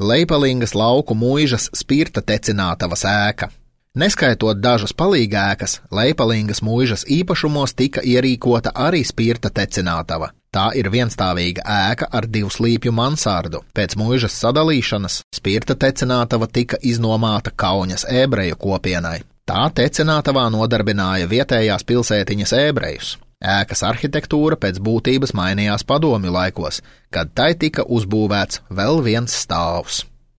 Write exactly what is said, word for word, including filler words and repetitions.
Leipalingas lauku muižas spirta tecinātavas ēka. Neskaitot dažas palīgēkas, Leipalingas muižas īpašumos tika ierīkota arī spirta tecinātava. Tā ir vienstāvīga ēka ar divslīpju mansardu. Pēc muižas sadalīšanas spirta tecinātava tika iznomāta Kauņas ebreju kopienai. Tā tecinātavā nodarbināja vietējās pilsētiņas ebrejus. Ēkas arhitektūra pēc būtības mainījās padomju laikos, kad tai tika uzbūvēts vēl viens stāvs.